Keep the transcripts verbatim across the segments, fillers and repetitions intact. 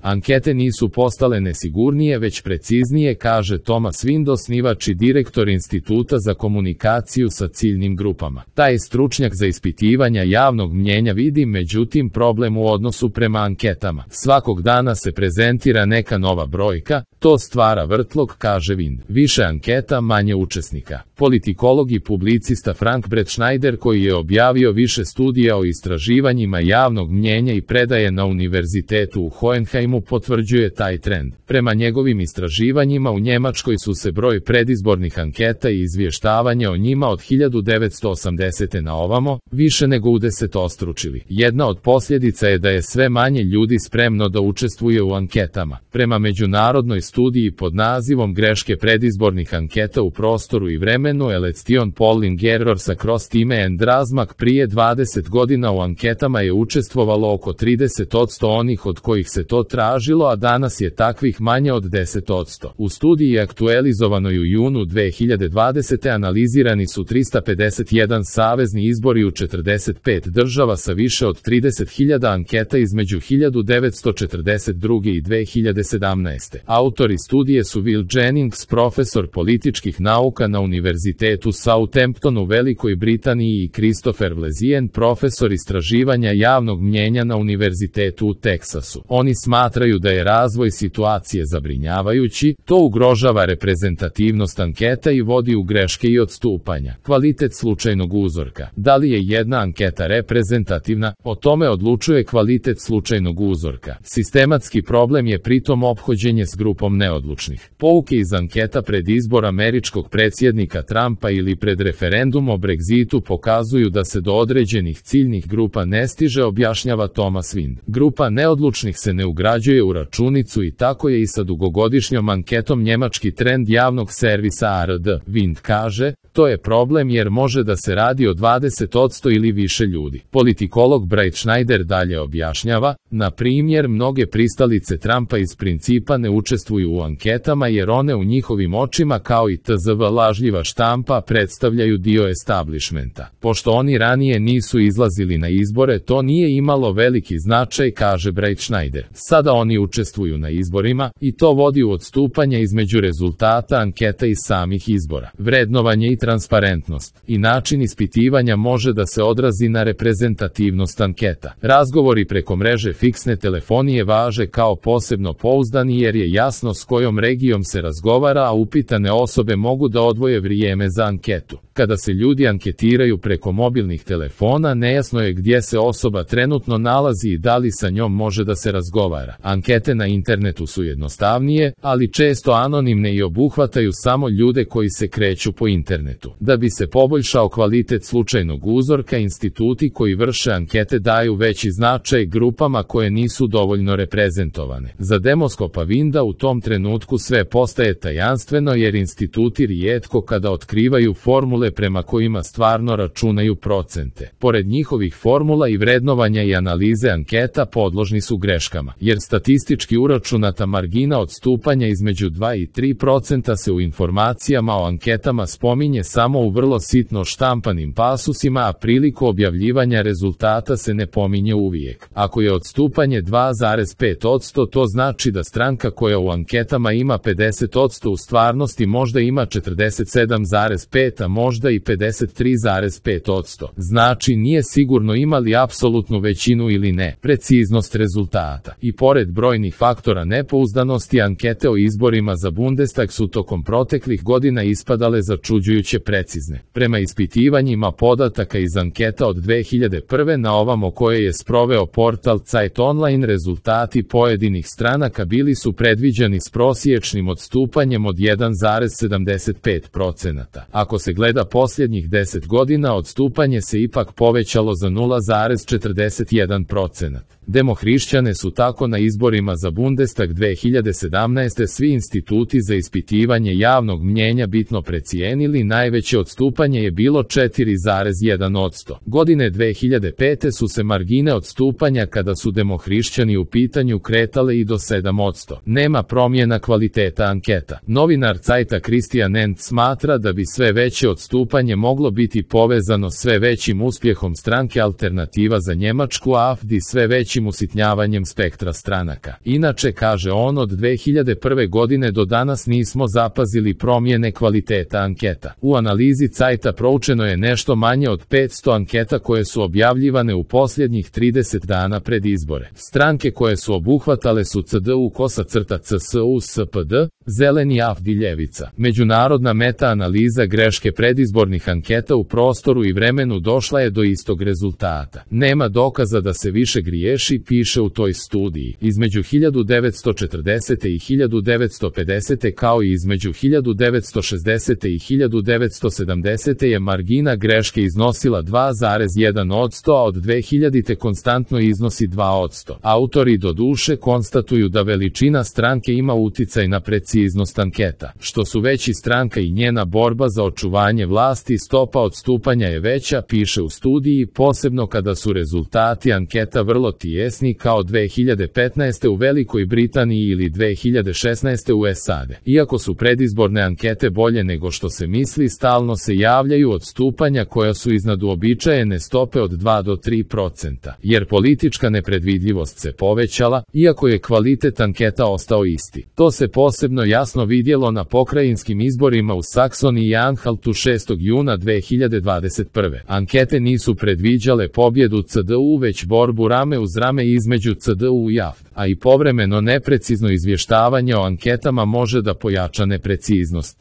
Ankete nisu postale nesigurnije već preciznije, kaže Thomas Wind, osnivač i direktor Instituta za komunikaciju sa ciljnim grupama. Taj stručnjak za ispitivanja javnog mnjenja vidi međutim problem u odnosu prema anketama. Svakog dana se prezentira neka nova brojka, to stvara vrtlog, kaže Wind. Više anketa, manje učesnika. Politikolog i publicista Frank Bretschneider, koji je objavio više studija o istraživanjima javnog mnjenja i predaje na univerzitetu u Hohenheimu, potvrđuje taj trend. Prema njegovim istraživanjima u Njemačkoj su se broj predizbornih anketa i izvještavanja o njima od hiljadu devetsto osamdesete na ovamo više nego udesetostručili. Jedna od posljedica je da je sve manje ljudi spremno da učestvuje u anketama. Prema međunarodnoj studiji pod nazivom Greške predizbornih anketa u prostoru i vremenu Election Polling Errors Across Time and Razmak, prije dvadeset godina u anketama je učestvovalo oko trideset posto onih od kojih se to tražilo, a danas je takvih manje od deset posto. U studiji aktualizovanoj u junu dve hiljade dvadesete analizirani su trista pedeset jedan savezni izbori u četrdeset pet država sa više od trideset hiljada anketa između hiljadu devetsto četrdeset druge i dve hiljade sedamnaeste. Autori studije su Will Jennings, profesor političkih nauka na Univerzitetu Southampton u Velikoj Britaniji, i Christopher Vlezien, profesor istraživanja javnog mnjenja na Univerzitetu u Teksasu. Oni smatraju da je razvoj situacije zabrinjavajući, to ugrožava reprezentativnost anketa i vodi u greške i odstupanja. Kvalitet slučajnog uzorka. Da li je jedna anketa reprezentativna? O tome odlučuje kvalitet slučajnog uzorka. Sistematski problem je pritom ophođenje s grupom neodlučnih. Pouke iz anketa pred izbor američkog predsjednika Trumpa ili pred referendum o Brexitu pokazuju da se do određenih ciljnih grupa ne stiže, objašnjava Thomas Wind. Grupa neodlučnih se ne ugrađuje u računicu i tako je i sa dugogodišnjom anketom njemački trend javnog servisa A R D. Wind kaže, to je problem jer može da se radi o dvadeset posto ili više ljudi. Politikolog Bretschneider dalje objašnjava, na primjer, mnoge pristalice Trumpa iz principa ne učestvuju u anketama jer one u njihovim očima kao i tzv. Lažljiva štampa predstavljaju dio establishmenta. Pošto oni ranije nisu izlazili na izbore, to nije imalo veliki značaj, kaže Bretschneider. Sada oni učestvuju na izborima i to vodi u odstupanje između rezultata anketa i samih izbora. Vrednovanje i transparentnost i način ispitivanja može da se odrazi na reprezentativnost anketa. Razgovori preko mreže fiksne telefonije važe kao posebno pouzdani jer je jasno s kojom regijom se razgovara, a upitane osobe mogu da odvoje vrijeme za anketu. Kada se ljudi anketiraju preko mobilnih telefona, nejasno je gdje se osoba trenutno nalazi i da li sa njom može da se razgovara. Ankete na internetu su jednostavnije, ali često anonimne i obuhvataju samo ljude koji se kreću po internetu. Da bi se poboljšao kvalitet slučajnog uzorka, instituti koji vrše ankete daju veći značaj grupama koje nisu dovoljno reprezentovane. Za demoskopa Winda u tom trenutku sve postaje tajanstveno jer instituti rijetko kada otkrivaju formule prema kojima stvarno računaju procente. Pored njihovih formula i vrednovanja i analize anketa podložni su greškama, jer statistički uračunata margina odstupanja između dva i tri procenta se u informacijama o anketama spominje samo u vrlo sitno štampanim pasusima, a priliku objavljivanja rezultata se ne pominje uvijek. Ako je odstupanje dva zarez pet posto, to znači da stranka koja u anketama ima pedeset posto u stvarnosti možda ima četrdeset sedam zarez pet, a možda i pedeset tri zarez pet posto. Znači nije sigurno imali apsolutnu većinu ili ne. Preciznost rezultata. I pored brojnih faktora nepouzdanosti, ankete o izborima za Bundestag su tokom proteklih godina ispadale začuđujuće precizne. Prema ispitivanjima podataka iz anketa od dve hiljade prve na ovamo koje je sproveo portal Zeit Online, rezultati pojedinih stranaka bili su predviđeni s prosječnim odstupanjem od jedan zarez sedamdeset pet procenta. Ako se gleda posljednjih deset godina, odstupanje se ipak povećalo za nula zarez četrdeset jedan procent. Demohrišćane su tako na izborima za Bundestag dve hiljade sedamnaeste svi instituti za ispitivanje javnog mnjenja bitno precijenili, najveće odstupanje je bilo četiri zarez jedan posto. Godine dve hiljade pete su se margine odstupanja kada su demohrišćani u pitanju kretale i do sedam posto. Nema promjena kvaliteta anketa. Novinar Zeita Christian End smatra da bi sve veće odstupanje moglo biti povezano sve većim uspjehom stranke Alternativa za Njemačku A F D i sve većim većim usitnjavanjem spektra stranaka. Inače, kaže on, od dve hiljade prve godine do danas nismo zapazili promjene kvaliteta anketa. U analizi Cajta proučeno je nešto manje od petsto anketa koje su objavljivane u posljednjih trideset dana pred izbore. Stranke koje su obuhvatale su C D U, Kosa crta C S U, S P D, Zeleni, A F D i Ljevica. Međunarodna meta-analiza greške predizbornih anketa u prostoru i vremenu došla je do istog rezultata. Nema dokaza da se više griješi, piše u toj studiji. Između hiljadu devetsto četrdesete i hiljadu devetsto pedesete kao i između hiljadu devetsto šezdesete i hiljadu devetsto sedamdesete je margina greške iznosila dva zarez jedan posto, a od dve hiljadite konstantno iznosi dva posto. Autori do duše konstatuju da veličina stranke ima uticaj na preciznost anketa. Što su veći stranka i njena borba za očuvanje vlasti, stopa odstupanja je veća, piše u studiji, posebno kada su rezultati anketa vrlo tijesni kao dve hiljade petnaeste u Velikoj Britaniji ili dve hiljade šesnaeste u S A D. Iako su predizborne ankete bolje nego što se misli, stalno se javljaju odstupanja koja su iznad uobičajene stope od dva do tri procenta, jer politička nepredvidljivost se povećala, iako je kvalitet anketa ostao isti. To se posebno jasno vidjelo na pokrajinskim izborima u Saksoniji i Anhaltu šestog juna dve hiljade dvadeset prve. Ankete nisu predviđale pobjedu C D U, već borbu rame uz rame između C D U i A F D, a i povremeno neprecizno izvještavanje o anketama može da pojača nepreciznost.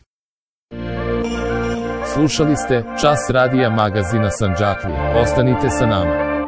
Slušali ste Čas radija magazina Sandžaklija. Ostanite sa nama.